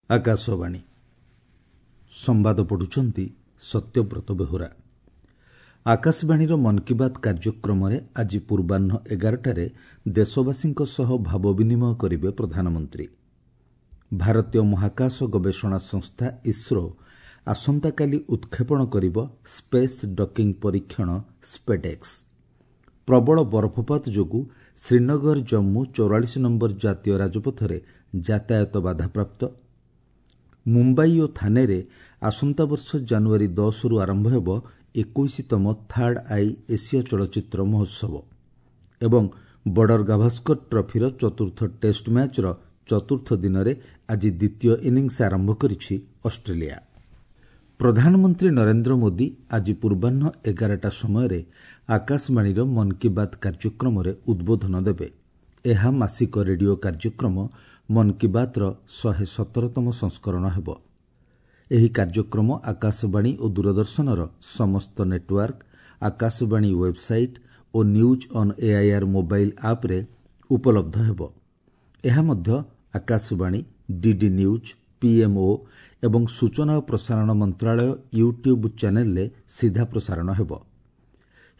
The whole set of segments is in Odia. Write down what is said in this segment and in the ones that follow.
ଆକାଶବାଣୀ ସମ୍ବାଦ ପଢ଼ୁଛନ୍ତି ସତ୍ୟବ୍ରତ ବେହୁରା। ଆକାଶବାଣୀର ମନ୍ କି ବାତ୍ କାର୍ଯ୍ୟକ୍ରମରେ ଆଜି ପୂର୍ବାହ୍ନ 11ଟାରେ ଦେଶବାସୀଙ୍କ ସହ ଭାବ ବିନିମୟ କରିବେ ପ୍ରଧାନମନ୍ତ୍ରୀ। ଭାରତୀୟ ମହାକାଶ ଗବେଷଣା ସଂସ୍ଥା ଇସ୍ରୋ ଆସନ୍ତାକାଲି ଉତ୍କ୍ଷେପଣ କରିବ ସ୍ପେସ୍ ଡକିଂ ପରୀକ୍ଷଣ ସ୍ପେଡେକ୍ସ। ପ୍ରବଳ ବରଫପାତ ଯୋଗୁଁ ଶ୍ରୀନଗର ଜମ୍ମୁ 44 ନମ୍ବର ଜାତୀୟ ରାଜପଥରେ ଯାତାୟାତ ବାଧାପ୍ରାପ୍ତ। ମୁମ୍ବାଇ ଓ ଥାନେରେ ଆସନ୍ତାବର୍ଷ ଜାନୁଆରୀ 10ରୁ ଆରମ୍ଭ ହେବ 21ତମ ଥାର୍ଡ I ଏସୀୟ ଚଳଚ୍ଚିତ୍ର ମହୋତ୍ସବ ଏବଂ ବର୍ଡର ଗାଭାସ୍କର ଟ୍ରଫିର ଚତୁର୍ଥ ଟେଷ୍ଟ ମ୍ୟାଚ୍ର ଚତୁର୍ଥ ଦିନରେ ଆଜି ଦ୍ୱିତୀୟ ଇନିଂସ ଆରମ୍ଭ କରିଛି ଅଷ୍ଟ୍ରେଲିଆ। ପ୍ରଧାନମନ୍ତ୍ରୀ ନରେନ୍ଦ୍ର ମୋଦି ଆଜି ପୂର୍ବାହ୍ନ 11ଟା ସମୟରେ ଆକାଶବାଣୀର ମନ୍ କି ବାତ୍ କାର୍ଯ୍ୟକ୍ରମରେ ଉଦ୍ବୋଧନ ଦେବେ। ଏହା ମାସିକ ରେଡିଓ କାର୍ଯ୍ୟକ୍ରମ ମନ୍ କି ବାତ୍ର 117ତମ ସଂସ୍କରଣ ହେବ। ଏହି କାର୍ଯ୍ୟକ୍ରମ ଆକାଶବାଣୀ ଓ ଦୂରଦର୍ଶନର ସମସ୍ତ network, Akashvani website O news on AIR mobile ଆପ୍ରେ ଉପଲବ୍ଧ ହେବ। ଏହା ମଧ୍ୟ ଆକାଶବାଣୀ, ଡିଡି ନ୍ୟୁଜ୍, ପିଏମ୍ଓ ଏବଂ ସୂଚନା ଓ ପ୍ରସାରଣ ମନ୍ତ୍ରାଳୟ ୟୁଟ୍ୟୁବ୍ ଚ୍ୟାନେଲ୍ରେ ସିଧା ପ୍ରସାରଣ ହେବ।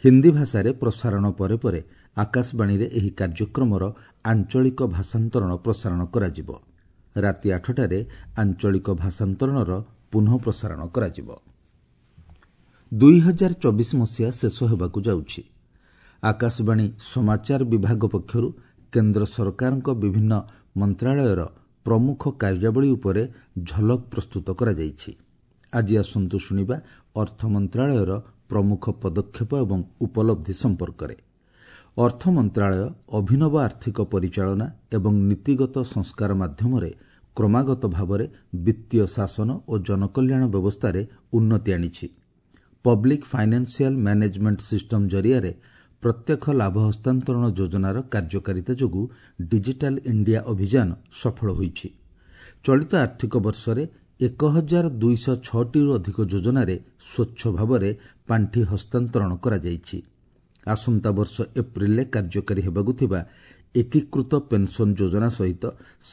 ହିନ୍ଦୀ ଭାଷାରେ ପ୍ରସାରଣ ପରେ ପରେ ଆକାଶବାଣୀରେ ଏହି କାର୍ଯ୍ୟକ୍ରମର ଆଞ୍ଚଳିକ ଭାଷାନ୍ତରଣ ପ୍ରସାରଣ କରାଯିବ। ରାତି 8ଟାରେ ଆଞ୍ଚଳିକ ଭାଷାନ୍ତରଣର ପୁନଃ ପ୍ରସାରଣ କରାଯିବ। 2024 ମସିହା ଶେଷ ହେବାକୁ ଯାଉଛି। ଆକାଶବାଣୀ ସମାଚାର ବିଭାଗ ପକ୍ଷରୁ କେନ୍ଦ୍ର ସରକାରଙ୍କ ବିଭିନ୍ନ ମନ୍ତ୍ରାଳୟର ପ୍ରମୁଖ କାର୍ଯ୍ୟାବଳୀ ଉପରେ ଝଲକ ପ୍ରସ୍ତୁତ କରାଯାଇଛି। ଆଜି ଆସନ୍ତୁ ଶୁଣିବା ଅର୍ଥ ମନ୍ତ୍ରାଳୟର ପ୍ରମୁଖ ପଦକ୍ଷେପ ଏବଂ ଉପଲବ୍ଧି ସମ୍ପର୍କରେ। ଅର୍ଥ ମନ୍ତ୍ରାଳୟ ଅଭିନବ ଆର୍ଥିକ ପରିଚାଳନା ଏବଂ ନୀତିଗତ ସଂସ୍କାର ମାଧ୍ୟମରେ କ୍ରମାଗତ ଭାବରେ ବିତ୍ତୀୟ ଶାସନ ଓ ଜନକଲ୍ୟାଣ ବ୍ୟବସ୍ଥାରେ ଉନ୍ନତି ଆଣିଛି। ପବ୍ଲିକ୍ ଫାଇନାନ୍ସିଆଲ ମ୍ୟାନେଜମେଣ୍ଟ ସିଷ୍ଟମ ଜରିଆରେ ପ୍ରତ୍ୟକ୍ଷ ଲାଭ ହସ୍ତାନ୍ତରଣ ଯୋଜନାର କାର୍ଯ୍ୟକାରିତା ଯୋଗୁଁ ଡିଜିଟାଲ ଇଣ୍ଡିଆ ଅଭିଯାନ ସଫଳ ହୋଇଛି। ଚଳିତ ଆର୍ଥିକ ବର୍ଷରେ 1206ଟିରୁ ଅଧିକ ଯୋଜନାରେ ସ୍ୱଚ୍ଛ ଭାବରେ ପାଣ୍ଠି ହସ୍ତାନ୍ତରଣ କରାଯାଇଛି। ଆସନ୍ତା ବର୍ଷ ଏପ୍ରିଲରେ କାର୍ଯ୍ୟକାରୀ ହେବାକୁ ଥିବା ଏକୀକୃତ ପେନ୍ସନ୍ ଯୋଜନା ସହିତ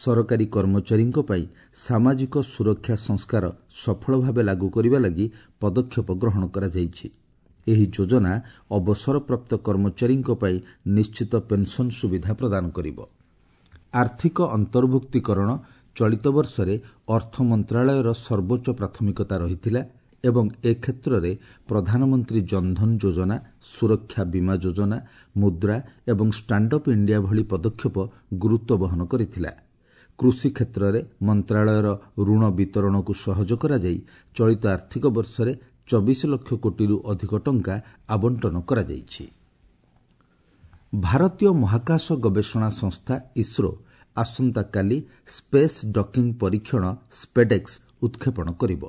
ସରକାରୀ କର୍ମଚାରୀଙ୍କ ପାଇଁ ସାମାଜିକ ସୁରକ୍ଷା ସଂସ୍କାର ସଫଳ ଭାବେ ଲାଗୁ କରିବା ଲାଗି ପଦକ୍ଷେପ ଗ୍ରହଣ କରାଯାଇଛି। ଏହି ଯୋଜନା ଅବସରପ୍ରାପ୍ତ କର୍ମଚାରୀଙ୍କ ପାଇଁ ନିଶ୍ଚିତ ପେନ୍ସନ୍ ସୁବିଧା ପ୍ରଦାନ କରିବ। ଆର୍ଥିକ ଅନ୍ତର୍ଭୁକ୍ତୀକରଣ ଚଳିତ ବର୍ଷରେ ଅର୍ଥ ମନ୍ତ୍ରାଳୟର ସର୍ବୋଚ୍ଚ ପ୍ରାଥମିକତା ରହିଥିଲା ଏବଂ ଏ କ୍ଷେତ୍ରରେ ପ୍ରଧାନମନ୍ତ୍ରୀ ଜନଧନ ଯୋଜନା, ସୁରକ୍ଷା ବୀମା ଯୋଜନା, ମୁଦ୍ରା ଏବଂ ଷ୍ଟାଣ୍ଡଅପ୍ ଇଣ୍ଡିଆ ଭଳି ପଦକ୍ଷେପ ଗୁରୁତ୍ୱ ବହନ କରିଥିଲା। କୃଷି କ୍ଷେତ୍ରରେ ମନ୍ତ୍ରାଳୟର ଋଣ ବିତରଣକୁ ସହଜ କରାଯାଇ ଚଳିତ ଆର୍ଥିକ ବର୍ଷରେ 24 ଲକ୍ଷ କୋଟିରୁ ଅଧିକ ଟଙ୍କା ଆବଣ୍ଟନ କରାଯାଇଛି। ଭାରତୀୟ ମହାକାଶ ଗବେଷଣା ସଂସ୍ଥା ଇସ୍ରୋ ଆସନ୍ତାକାଲି ସ୍ପେସ୍ ଡକିଂ ପରୀକ୍ଷଣ ସ୍ପେଡେକ୍ସ ଉତ୍କ୍ଷେପଣ କରିବ।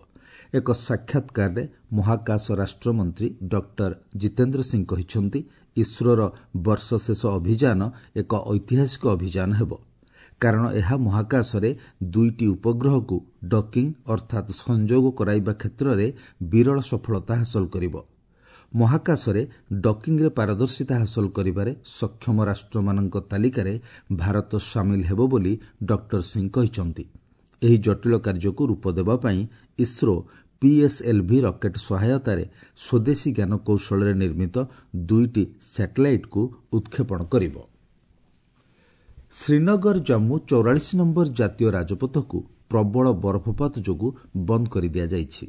ଏକ ସାକ୍ଷାତକାରରେ ମହାକାଶ ରାଷ୍ଟ୍ରମନ୍ତ୍ରୀ ଡକ୍ଟର ଜିତେନ୍ଦ୍ର ସିଂ କହିଛନ୍ତି, ଇସ୍ରୋର ବର୍ଷ ଶେଷ ଅଭିଯାନ ଏକ ଐତିହାସିକ ଅଭିଯାନ ହେବ, କାରଣ ଏହା ମହାକାଶରେ ଦୁଇଟି ଉପଗ୍ରହକୁ ଡକିଂ ଅର୍ଥାତ୍ ସଂଯୋଗ କରାଇବା କ୍ଷେତ୍ରରେ ବିରଳ ସଫଳତା ହାସଲ କରିବ। ମହାକାଶରେ ଡକିଂରେ ପାରଦର୍ଶିତା ହାସଲ କରିବାରେ ସକ୍ଷମ ରାଷ୍ଟ୍ରମାନଙ୍କ ତାଲିକାରେ ଭାରତ ସାମିଲ ହେବ ବୋଲି ଡକ୍ଟର ସିଂ କହିଛନ୍ତି। ଏହି ଜଟିଳ କାର୍ଯ୍ୟକୁ ରୂପ ଦେବା ପାଇଁ ଇସ୍ରୋ ପିଏସ୍ଏଲ୍ଭି ରକେଟ୍ ସହାୟତାରେ ସ୍ୱଦେଶୀ ଜ୍ଞାନକୌଶଳରେ ନିର୍ମିତ ଦୁଇଟି ସ୍ୟାଟେଲାଇଟ୍କୁ ଉତ୍କ୍ଷେପଣ କରିବ। ଶ୍ରୀନଗର ଜମ୍ମୁ 44 ନମ୍ବର ଜାତୀୟ ରାଜପଥକୁ ପ୍ରବଳ ବରଫପାତ ଯୋଗୁଁ ବନ୍ଦ କରିଦିଆଯାଇଛି।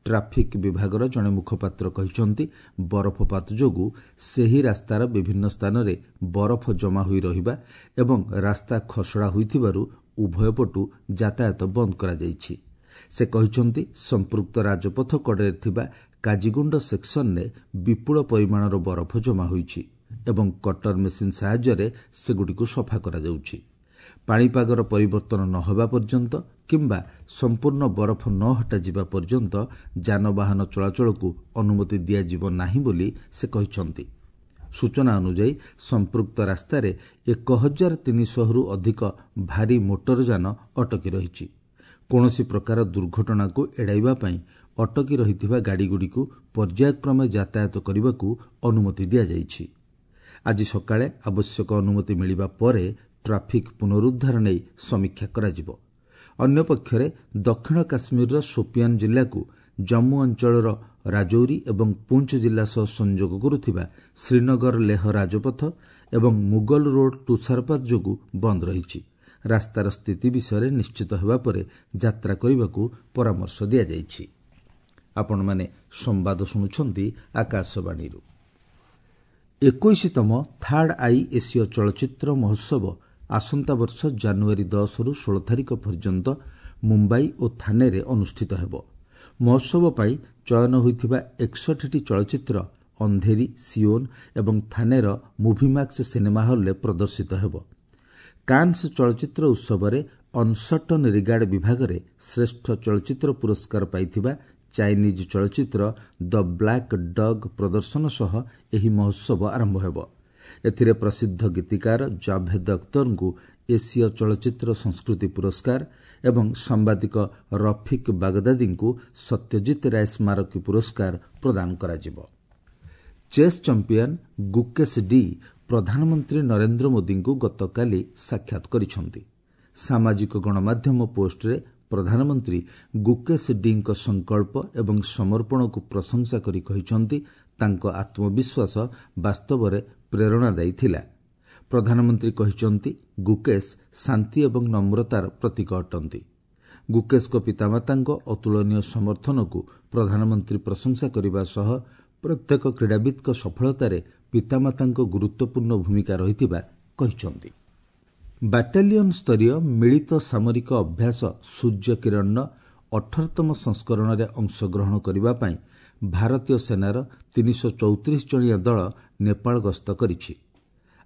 ଟ୍ରାଫିକ୍ ବିଭାଗର ଜଣେ ମୁଖପାତ୍ର କହିଛନ୍ତି, ବରଫପାତ ଯୋଗୁଁ ସେହି ରାସ୍ତାର ବିଭିନ୍ନ ସ୍ଥାନରେ ବରଫ ଜମା ହୋଇ ରହିବା ଏବଂ ରାସ୍ତା ଖସଡ଼ା ହୋଇଥିବାରୁ ଉଭୟ ପଟୁ ଯାତାୟାତ ବନ୍ଦ କରାଯାଇଛି। ସେ କହିଛନ୍ତି, ସମ୍ପୃକ୍ତ ରାଜପଥ କଡ଼ରେ ଥିବା କାଜିଗୁଣ୍ଡ ସେକ୍ସନରେ ବିପୁଳ ପରିମାଣର ବରଫ ଜମା ହୋଇଛି ଏବଂ କଟର ମେସିନ୍ ସାହାଯ୍ୟରେ ସେଗୁଡ଼ିକୁ ସଫା କରାଯାଉଛି। ପାଣିପାଗର ପରିବର୍ତ୍ତନ ନ ହେବା ପର୍ଯ୍ୟନ୍ତ କିମ୍ବା ସମ୍ପୂର୍ଣ୍ଣ ବରଫ ନ ହଟାଯିବା ପର୍ଯ୍ୟନ୍ତ ଯାନବାହନ ଚଳାଚଳକୁ ଅନୁମତି ଦିଆଯିବ ନାହିଁ ବୋଲି ସେ କହିଛନ୍ତି। ସୂଚନା ଅନୁଯାୟୀ ସମ୍ପୃକ୍ତ ରାସ୍ତାରେ 1300ରୁ ଅଧିକ ଭାରୀ ମୋଟରଯାନ ଅଟକି ରହିଛି। କୌଣସି ପ୍ରକାର ଦୁର୍ଘଟଣାକୁ ଏଡ଼ାଇବା ପାଇଁ ଅଟକି ରହିଥିବା ଗାଡ଼ିଗୁଡ଼ିକୁ ପର୍ଯ୍ୟାୟକ୍ରମେ ଯାତାୟାତ କରିବାକୁ ଅନୁମତି ଦିଆଯାଇଛି। ଆଜି ସକାଳେ ଆବଶ୍ୟକ ଅନୁମତି ମିଳିବା ପରେ ଟ୍ରାଫିକ୍ ପୁନରୁଦ୍ଧାର ନେଇ ସମୀକ୍ଷା କରାଯିବ। ଅନ୍ୟପକ୍ଷରେ ଦକ୍ଷିଣ କାଶ୍ମୀରର ସୋପିଆନ୍ ଜିଲ୍ଲାକୁ ଜମ୍ମୁ ଅଞ୍ଚଳର ରାଜୌରୀ ଏବଂ ପୁଞ୍ଚ ଜିଲ୍ଲା ସହ ସଂଯୋଗ କରୁଥିବା ଶ୍ରୀନଗର ଲେହ ରାଜପଥ ଏବଂ ମୁଗଲ ରୋଡ୍ ତୁଷାରପାତ ଯୋଗୁଁ ବନ୍ଦ ରହିଛି। ରାସ୍ତାର ସ୍ଥିତି ବିଷୟରେ ନିଶ୍ଚିତ ହେବା ପରେ ଯାତ୍ରା କରିବାକୁ ପରାମର୍ଶ ଦିଆଯାଇଛି। ଆପଣମାନେ ସମ୍ବାଦ ଶୁଣୁଛନ୍ତି ଆକାଶବାଣୀରୁ। 21ତମ ଥାର୍ଡ I ଏସୀୟ ଚଳଚ୍ଚିତ୍ର ମହୋତ୍ସବ ଆସନ୍ତା ବର୍ଷ ଜାନୁଆରୀ 10ରୁ 16 ତାରିଖ ପର୍ଯ୍ୟନ୍ତ ମୁମ୍ବାଇ ଓ ଥାନେରେ ଅନୁଷ୍ଠିତ ହେବ। ମହୋତ୍ସବ ପାଇଁ ଚୟନ ହୋଇଥିବା 61ଟି ଚଳଚ୍ଚିତ୍ର ଅନ୍ଧେରୀ, ସିଓନ୍ ଏବଂ ଥାନେର ମୁଭିମାକ୍ସ ସିନେମା ହଲ୍ରେ ପ୍ରଦର୍ଶିତ ହେବ। କାନ୍ସ ଚଳଚ୍ଚିତ୍ର ଉତ୍ସବରେ ଅନସର୍ଟନ୍ ରିଗାର୍ଡ ବିଭାଗରେ ଶ୍ରେଷ୍ଠ ଚଳଚ୍ଚିତ୍ର ପୁରସ୍କାର ପାଇଥିବା ଚାଇନିଜ୍ ଚଳଚ୍ଚିତ୍ର ଦ ବ୍ଲାକ୍ ଡଗ୍ ପ୍ରଦର୍ଶନ ସହ ଏହି ମହୋତ୍ସବ ଆରମ୍ଭ ହେବ। ଏଥିରେ ପ୍ରସିଦ୍ଧ ଗୀତିକାର ଜାଭେଦ ଅଖତରଙ୍କୁ ଏସୀୟ ଚଳଚ୍ଚିତ୍ର ସଂସ୍କୃତି ପୁରସ୍କାର ଏବଂ ସାମ୍ବାଦିକ ରଫିକ୍ ବାଗଦାଦୀଙ୍କୁ ସତ୍ୟଜିତ ରାୟ ସ୍ମାରକୀ ପୁରସ୍କାର ପ୍ରଦାନ କରାଯିବ। ଚେସ୍ ଚାମ୍ପିୟନ୍ ଗୁକେଶ ଡି ପ୍ରଧାନମନ୍ତ୍ରୀ ନରେନ୍ଦ୍ର ମୋଦିଙ୍କୁ ଗତକାଲି ସାକ୍ଷାତ କରିଛନ୍ତି। ସାମାଜିକ ଗଣମାଧ୍ୟମ ପୋଷ୍ଟରେ ପ୍ରଧାନମନ୍ତ୍ରୀ ଗୁକେଶ ଡିଙ୍କ ସଂକଳ୍ପ ଏବଂ ସମର୍ପଣକୁ ପ୍ରଶଂସା କରି କହିଛନ୍ତି, ତାଙ୍କ ଆତ୍ମବିଶ୍ୱାସ ବାସ୍ତବରେ ପ୍ରେରଣାଦାୟୀ ଥିଲା। ପ୍ରଧାନମନ୍ତ୍ରୀ କହିଛନ୍ତି, ଗୁକେଶ ଶାନ୍ତି ଏବଂ ନମ୍ରତାର ପ୍ରତୀକ ଅଟନ୍ତି। ଗୁକେଶଙ୍କ ପିତାମାତାଙ୍କ ଅତୁଳନୀୟ ସମର୍ଥନକୁ ପ୍ରଧାନମନ୍ତ୍ରୀ ପ୍ରଶଂସା କରିବା ସହ ପ୍ରତ୍ୟେକ କ୍ରୀଡ଼ାବିତ୍ଙ୍କ ସଫଳତାରେ ପିତାମାତାଙ୍କ ଗୁରୁତ୍ୱପୂର୍ଣ୍ଣ ଭୂମିକା ରହିଥିବା କହିଛନ୍ତି। ବାଟାଲିୟନ୍ ସ୍ତରୀୟ ମିଳିତ ସାମରିକ ଅଭ୍ୟାସ ସୂର୍ଯ୍ୟ କିରଣର 18ତମ ସଂସ୍କରଣରେ ଅଂଶଗ୍ରହଣ କରିବା ପାଇଁ ଭାରତୀୟ ସେନାର 334 ଜଣିଆ ଦଳ ନେପାଳ ଗସ୍ତ କରିଛି।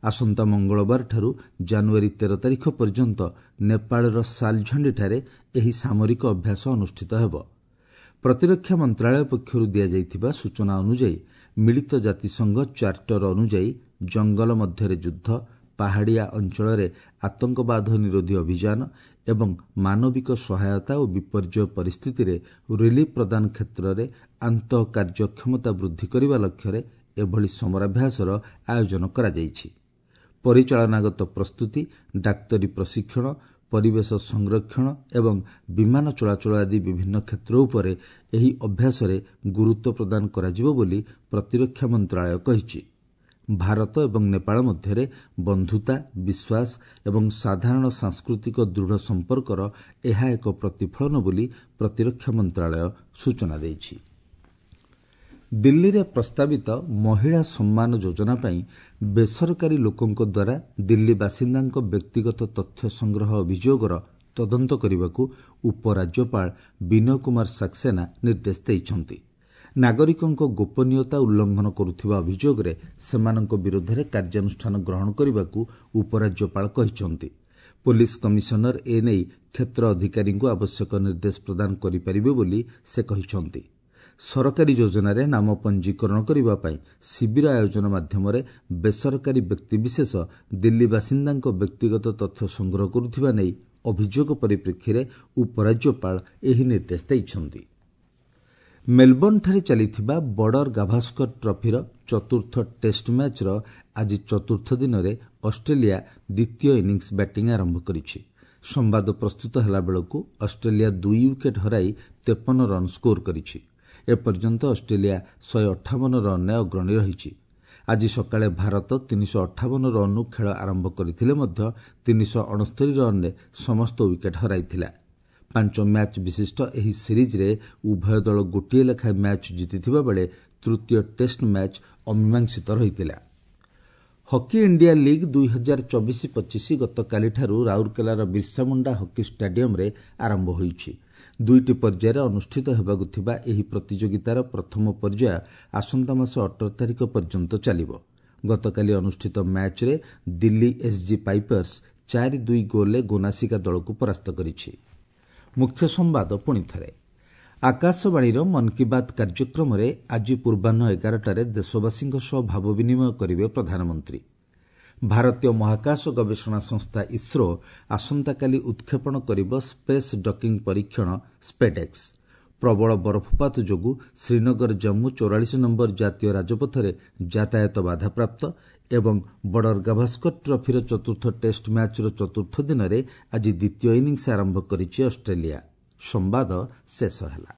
ଆସନ୍ତା ମଙ୍ଗଳବାରଠାରୁ ଜାନୁଆରୀ 13 ତାରିଖ ପର୍ଯ୍ୟନ୍ତ ନେପାଳର ସାଲଝଣ୍ଡିଠାରେ ଏହି ସାମରିକ ଅଭ୍ୟାସ ଅନୁଷ୍ଠିତ ହେବ। ପ୍ରତିରକ୍ଷା ମନ୍ତ୍ରଣାଳୟ ପକ୍ଷରୁ ଦିଆଯାଇଥିବା ସୂଚନା ଅନୁଯାୟୀ ମିଳିତ ଜାତିସଂଘ ଚାର୍ଟର ଅନୁଯାୟୀ ଜଙ୍ଗଲ ମଧ୍ୟରେ ଯୁଦ୍ଧ, ପାହାଡ଼ିଆ ଅଞ୍ଚଳରେ ଆତଙ୍କବାଦ ନିରୋଧୀ ଅଭିଯାନ ଏବଂ ମାନବିକ ସହାୟତା ଓ ବିପର୍ଯ୍ୟୟ ପରିସ୍ଥିତିରେ ରିଲିଫ୍ ପ୍ରଦାନ କ୍ଷେତ୍ରରେ ଆନ୍ତଃ କାର୍ଯ୍ୟକ୍ଷମତା ବୃଦ୍ଧି କରିବା ଲକ୍ଷ୍ୟରେ ଏଭଳି ସମରାଭ୍ୟାସର ଆୟୋଜନ କରାଯାଇଛି। ପରିଚାଳନାଗତ ପ୍ରସ୍ତୁତି, ଡାକ୍ତରୀ ପ୍ରଶିକ୍ଷଣ, ପରିବେଶ ସଂରକ୍ଷଣ ଏବଂ ବିମାନ ଚଳାଚଳ ଆଦି ବିଭିନ୍ନ କ୍ଷେତ୍ର ଉପରେ ଏହି ଅଭ୍ୟାସରେ ଗୁରୁତ୍ୱ ପ୍ରଦାନ କରାଯିବ ବୋଲି ପ୍ରତିରକ୍ଷା ମନ୍ତ୍ରଣାଳୟ କହିଛି। ଭାରତ ଏବଂ ନେପାଳ ମଧ୍ୟରେ ବନ୍ଧୁତା, ବିଶ୍ୱାସ ଏବଂ ସାଧାରଣ ସାଂସ୍କୃତିକ ଦୃଢ଼ ସମ୍ପର୍କର ଏହା ଏକ ପ୍ରତିଫଳନ ବୋଲି ପ୍ରତିରକ୍ଷା ମନ୍ତ୍ରଣାଳୟ ସୂଚନା ଦେଇଛି। ଦିଲ୍ଲୀରେ ପ୍ରସ୍ତାବିତ ମହିଳା ସମ୍ମାନ ଯୋଜନା ପାଇଁ ବେସରକାରୀ ଲୋକଙ୍କ ଦ୍ୱାରା ଦିଲ୍ଲୀ ବାସିନ୍ଦାଙ୍କ ବ୍ୟକ୍ତିଗତ ତଥ୍ୟ ସଂଗ୍ରହ ଅଭିଯୋଗର ତଦନ୍ତ କରିବାକୁ ଉପରାଜ୍ୟପାଳ ବିନୟ କୁମାର ସାକ୍ସେନା ନିର୍ଦ୍ଦେଶ ଦେଇଛନ୍ତି। ନାଗରିକଙ୍କ ଗୋପନୀୟତା ଉଲ୍ଲଂଘନ କରୁଥିବା ଅଭିଯୋଗରେ ସେମାନଙ୍କ ବିରୋଧରେ କାର୍ଯ୍ୟାନୁଷ୍ଠାନ ଗ୍ରହଣ କରିବାକୁ ଉପରାଜ୍ୟପାଳ କହିଛନ୍ତି। ପୋଲିସ କମିଶନର ଏ ନେଇ କ୍ଷେତ୍ର ଅଧିକାରୀଙ୍କୁ ଆବଶ୍ୟକ ନିର୍ଦ୍ଦେଶ ପ୍ରଦାନ କରିପାରିବେ ବୋଲି ସେ କହିଛନ୍ତି। ସରକାରୀ ଯୋଜନାରେ ନାମ ପଞ୍ଜୀକରଣ କରିବା ପାଇଁ ଶିବିର ଆୟୋଜନ ମାଧ୍ୟମରେ ବେସରକାରୀ ବ୍ୟକ୍ତିବିଶେଷ ଦିଲ୍ଲୀ ବାସିନ୍ଦାଙ୍କ ବ୍ୟକ୍ତିଗତ ତଥ୍ୟ ସଂଗ୍ରହ କରୁଥିବା ନେଇ ଅଭିଯୋଗ ପରିପ୍ରେକ୍ଷୀରେ ଉପରାଜ୍ୟପାଳ ଏହି ନିର୍ଦ୍ଦେଶ ଦେଇଛନ୍ତି। ମେଲବର୍ଣ୍ଣଠାରେ ଚାଲିଥିବା ବର୍ଡର ଗାଭାସ୍କର ଟ୍ରଫିର ଚତୁର୍ଥ ଟେଷ୍ଟ ମ୍ୟାଚ୍ର ଆଜି ଚତୁର୍ଥ ଦିନରେ ଅଷ୍ଟ୍ରେଲିଆ ଦ୍ୱିତୀୟ ଇନିଂସ ବ୍ୟାଟିଂ ଆରମ୍ଭ କରିଛି। ସମ୍ବାଦ ପ୍ରସ୍ତୁତ ହେଲାବେଳକୁ ଅଷ୍ଟ୍ରେଲିଆ 2 ୱିକେଟ୍ ହରାଇ 53 ରନ୍ ସ୍କୋର କରିଛି। ଏପର୍ଯ୍ୟନ୍ତ ଅଷ୍ଟ୍ରେଲିଆ 158 ରନ୍ରେ ଅଗ୍ରଣୀ ରହିଛି। ଆଜି ସକାଳେ ଭାରତ 358 ରନ୍ରୁ ଖେଳ ଆରମ୍ଭ କରିଥିଲେ ମଧ୍ୟ 369 ରନ୍ରେ ସମସ୍ତ ୱିକେଟ୍ ହରାଇଥିଲା। 5 ମ୍ୟାଚ୍ ବିଶିଷ୍ଟ ଏହି ସିରିଜ୍ରେ ଉଭୟ ଦଳ ଗୋଟିଏ ଲେଖାଏଁ ମ୍ୟାଚ୍ ଜିତିଥିବା ବେଳେ ତୃତୀୟ ଟେଷ୍ଟ ମ୍ୟାଚ୍ ଅମୀମାଂସିତ ରହିଥିଲା। ହକି ଇଣ୍ଡିଆ ଲିଗ୍ 2024-25 ଗତକାଲିଠାରୁ ରାଉରକେଲାର ବିର୍ସାମୁଣ୍ଡା ହକି ଷ୍ଟାଡିୟମ୍ରେ ଆରମ୍ଭ ହୋଇଛି। 2ଟି ପର୍ଯ୍ୟାୟରେ ଅନୁଷ୍ଠିତ ହେବାକୁ ଥିବା ଏହି ପ୍ରତିଯୋଗିତାର ପ୍ରଥମ ପର୍ଯ୍ୟାୟ ଆସନ୍ତା ମାସ 18 ତାରିଖ ପର୍ଯ୍ୟନ୍ତ ଚାଲିବ। ଗତକାଲି ଅନୁଷ୍ଠିତ ମ୍ୟାଚ୍ରେ ଦିଲ୍ଲୀ ଏସ୍ଜି ପାଇପର୍ସ 4-2 ଗୋଲ୍ରେ ଗୋନାସିକା ଦଳକୁ ପରାସ୍ତ କରିଛି। ମୁଖ୍ୟ ସମ୍ବାଦ ପୁଣିଥରେ। ଆକାଶବାଣୀର ମନ୍ କି ବାତ୍ କାର୍ଯ୍ୟକ୍ରମରେ ଆଜି ପୂର୍ବାହ୍ନ 11ଟାରେ ଦେଶବାସୀଙ୍କ ସହ ଭାବ ବିନିମୟ କରିବେ ପ୍ରଧାନମନ୍ତ୍ରୀ। ଭାରତୀୟ ମହାକାଶ ଗବେଷଣା ସଂସ୍ଥା ଇସ୍ରୋ ଆସନ୍ତାକାଲି ଉତ୍କ୍ଷେପଣ କରିବ ସ୍ପେସ୍ ଡକିଂ ପରୀକ୍ଷଣ ସ୍ପେଡେକ୍ସ। ପ୍ରବଳ ବରଫପାତ ଯୋଗୁଁ ଶ୍ରୀନଗର ଜମ୍ମୁ 44 ନମ୍ବର ଜାତୀୟ ରାଜପଥରେ ଯାତାୟାତ ବାଧାପ୍ରାପ୍ତ। ଏବଂ ବର୍ଡର ଗାଭାସ୍କର ଟ୍ରଫିର ଚତୁର୍ଥ ଟେଷ୍ଟ ମ୍ୟାଚ୍ର ଚତୁର୍ଥ ଦିନରେ ଆଜି ଦ୍ୱିତୀୟ ଇନିଂସ୍ ଆରମ୍ଭ କରିଛି ଅଷ୍ଟ୍ରେଲିଆ। ସମ୍ବାଦ ଶେଷ ହେଲା।